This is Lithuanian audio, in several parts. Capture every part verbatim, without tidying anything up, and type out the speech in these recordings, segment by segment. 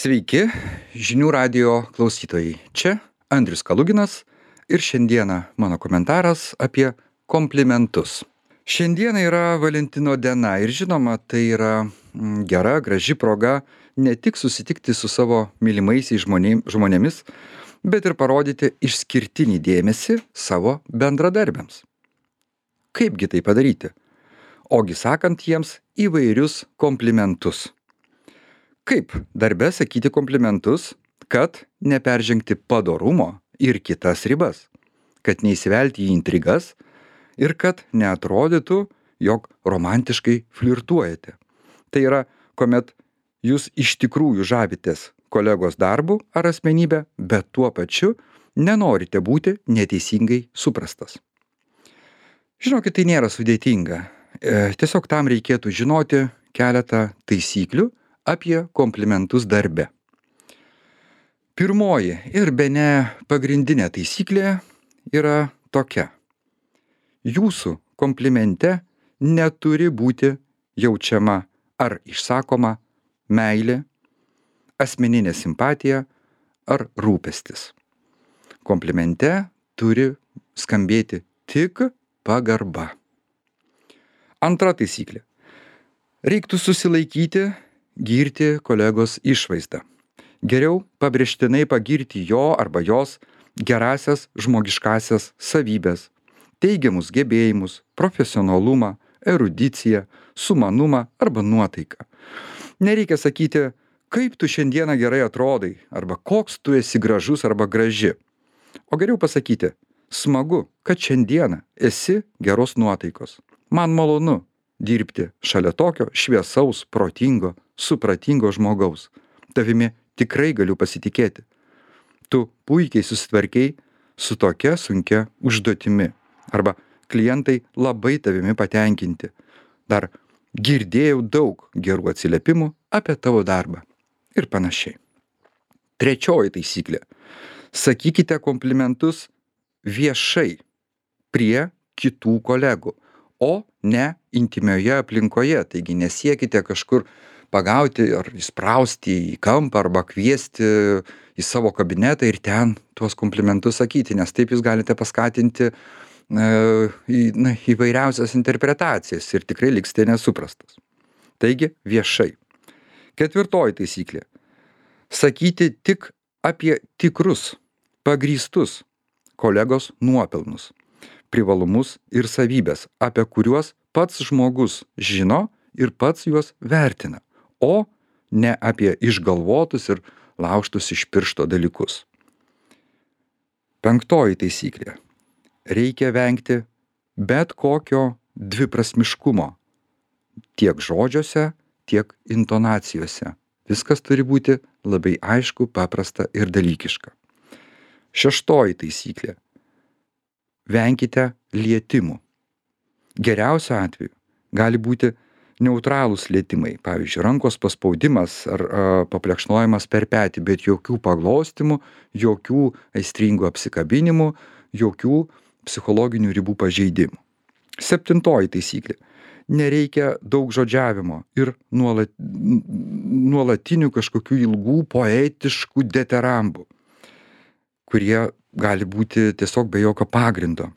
Sveiki, žinių radijo klausytojai. Čia Andrius Kaluginas ir šiandieną mano komentaras apie komplimentus. Šiandieną yra Valentino diena ir žinoma, tai yra mm, gera, graži proga ne tik susitikti su savo mylimaisiais žmonėm- žmonėmis, bet ir parodyti išskirtinį dėmesį savo bendradarbiams. Kaipgi tai padaryti? Ogi sakant jiems įvairius komplimentus. Kaip darbe sakyti komplimentus, kad neperžengti padorumo ir kitas ribas, kad neįsivelti į intrigas ir kad neatrodytų, jog romantiškai flirtuojate. Tai yra, kuomet jūs iš tikrųjų žavitės kolegos darbu ar asmenybę, bet tuo pačiu nenorite būti neteisingai suprastas. Žinokit, tai nėra sudėtinga. E, tiesiog tam reikėtų žinoti keletą taisyklių apie komplimentus darbe. Pirmoji ir bene pagrindinė taisyklė yra tokia. Jūsų komplimente neturi būti jaučiama ar išsakoma meilė, asmeninė simpatija ar rūpestis. Komplimente turi skambėti tik pagarba. Antra taisyklė. Reiktų susilaikyti girti kolegos išvaizdą. Geriau pabrėžtinai pagirti jo arba jos gerasias žmogiškasias savybės, teigiamus gebėjimus, profesionalumą, erudiciją, sumanumą arba nuotaiką. Nereikia sakyti, kaip tu šiandieną gerai atrodai, arba koks tu esi gražus arba graži. O geriau pasakyti, smagu, kad šiandieną esi geros nuotaikos. Man malonu dirbti šalia tokio šviesaus, protingo, supratingo žmogaus. Tavimi tikrai galiu pasitikėti. Tu puikiai susitvarkei su tokia sunkia užduotimi. Arba klientai labai tavimi patenkinti. Dar girdėjau daug gerų atsiliepimų apie tavo darbą. Ir panašiai. Trečioji taisyklė. Sakykite komplimentus viešai prie kitų kolegų, o ne intymioje aplinkoje. Taigi nesiekite kažkur pagauti ar įsprausti į kampą arba kviesti į savo kabinetą ir ten tuos komplimentus sakyti, nes taip jūs galite paskatinti e, į, na, įvairiausias interpretacijas ir tikrai liksite nesuprastas. Taigi viešai. Ketvirtoji taisyklė. Sakyti tik apie tikrus, pagrįstus kolegos nuopelnus, privalumus ir savybės, apie kuriuos pats žmogus žino ir pats juos vertina, o ne apie išgalvotus ir laužtus iš piršto dalykus. Penktoji taisyklė. Reikia vengti bet kokio dviprasmiškumo, tiek žodžiuose, tiek intonacijose. Viskas turi būti labai aišku, paprasta ir dalykiška. Šeštoji taisyklė. Venkite lietimų. Geriausiu atveju gali būti neutralūs lietimai, pavyzdžiui, rankos paspaudimas ar a, paplekšnojimas per petį, bet jokių paglostymų, jokių aistringų apsikabinimų, jokių psichologinių ribų pažeidimų. Septintoji taisyklė. Nereikia daug žodžiavimo ir nuolat, nuolatinių kažkokių ilgų poetiškų deterambų, kurie gali būti tiesiog be jokio pagrindo,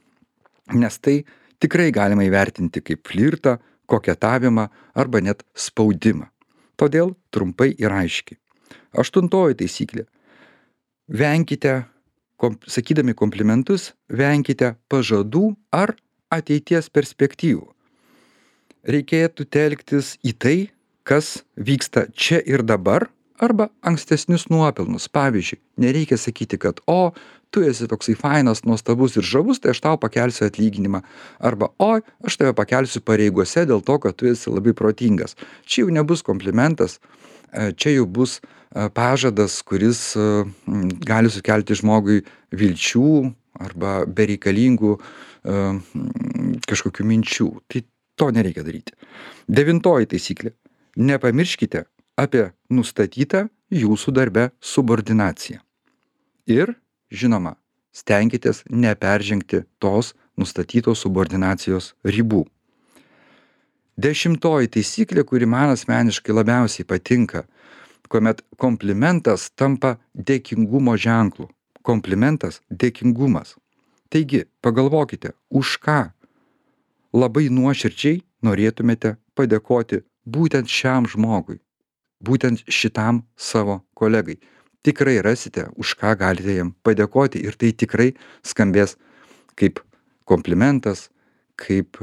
nes tai tikrai galima įvertinti kaip flirtą, koketavimą arba net spaudimą. Todėl trumpai ir aiškiai. Aštuntoji taisyklė. Venkite, kom, sakydami komplimentus, venkite pažadų ar ateities perspektyvų. Reikėtų telktis į tai, kas vyksta čia ir dabar, arba ankstesnius nuopelnus. Pavyzdžiui, nereikia sakyti, kad o, tu esi toksai fainas, nuostabus ir žavus, tai aš tau pakelsiu atlyginimą. Arba o, aš tave pakelsiu pareigose dėl to, kad tu esi labai protingas. Čia jau nebus komplimentas, čia jau bus pažadas, kuris gali sukelti žmogui vilčių arba bereikalingų kažkokių minčių. Tai to nereikia daryti. Devintoji taisyklė. Nepamirškite apie nustatytą jūsų darbe subordinaciją. Ir, žinoma, stenkitės neperžengti tos nustatytos subordinacijos ribų. Dešimtoji taisyklė, kuri man asmeniškai labiausiai patinka, kuomet komplimentas tampa dėkingumo ženklu. Komplimentas – dėkingumas. Taigi, pagalvokite, už ką labai nuoširdžiai norėtumėte padėkoti būtent šiam žmogui, būtent šitam savo kolegai. Tikrai rasite, už ką galite jam padėkoti ir tai tikrai skambės kaip komplimentas, kaip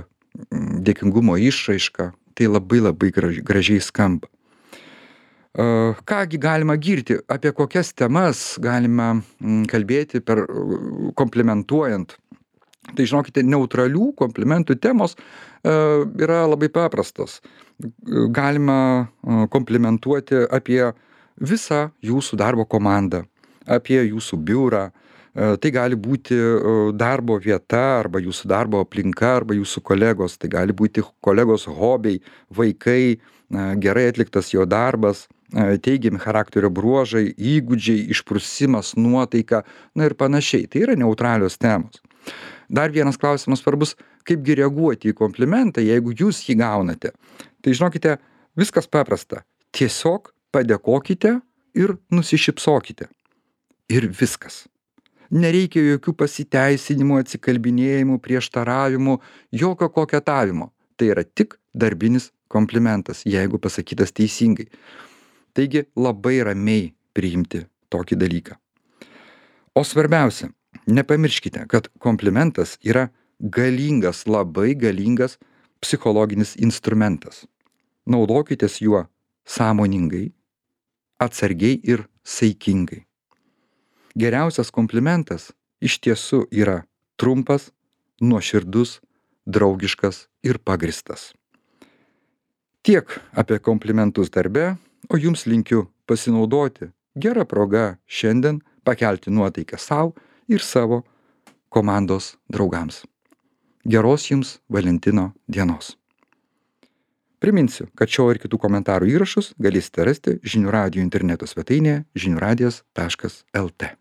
dėkingumo išraiška. Tai labai labai gražiai skamba. Kągi galima girti, apie kokias temas galima kalbėti per komplimentuojant. Tai žinokite, neutralių komplimentų temos yra labai paprastos. Galima komplimentuoti apie visą jūsų darbo komandą, apie jūsų biurą. Tai gali būti darbo vieta arba jūsų darbo aplinka arba jūsų kolegos. Tai gali būti kolegos hobiai, vaikai, gerai atliktas jo darbas, teigiami charakterio bruožai, įgūdžiai, išprusimas, nuotaika, na ir panašiai. Tai yra neutralios temos. Dar vienas klausimas svarbus, kaipgi reaguoti į komplimentą, jeigu jūs jį gaunate. Tai žinokite, viskas paprasta. Tiesiog padėkokite ir nusišypsokite. Ir viskas. Nereikia jokių pasiteisinimų, atsikalbinėjimų, prieštaravimų, jokio koketavimo. Tai yra tik darbinis komplimentas, jeigu pasakytas teisingai. Taigi labai ramiai priimti tokį dalyką. O svarbiausia, nepamirškite, kad komplimentas yra galingas, labai galingas psichologinis instrumentas. Naudokitės juo sąmoningai, atsargiai ir saikingai. Geriausias komplimentas iš tiesų yra trumpas, nuoširdus, draugiškas ir pagristas. Tiek apie komplimentus darbe, o jums linkiu pasinaudoti gerą progą šiandien pakelti nuotaiką sau ir savo komandos draugams. Geros jums Valentino dienos. Priminsiu, kad šio ir kitų komentarų įrašus galėsite rasti žinių radijo interneto svetainėje žinių radijas taškas lt.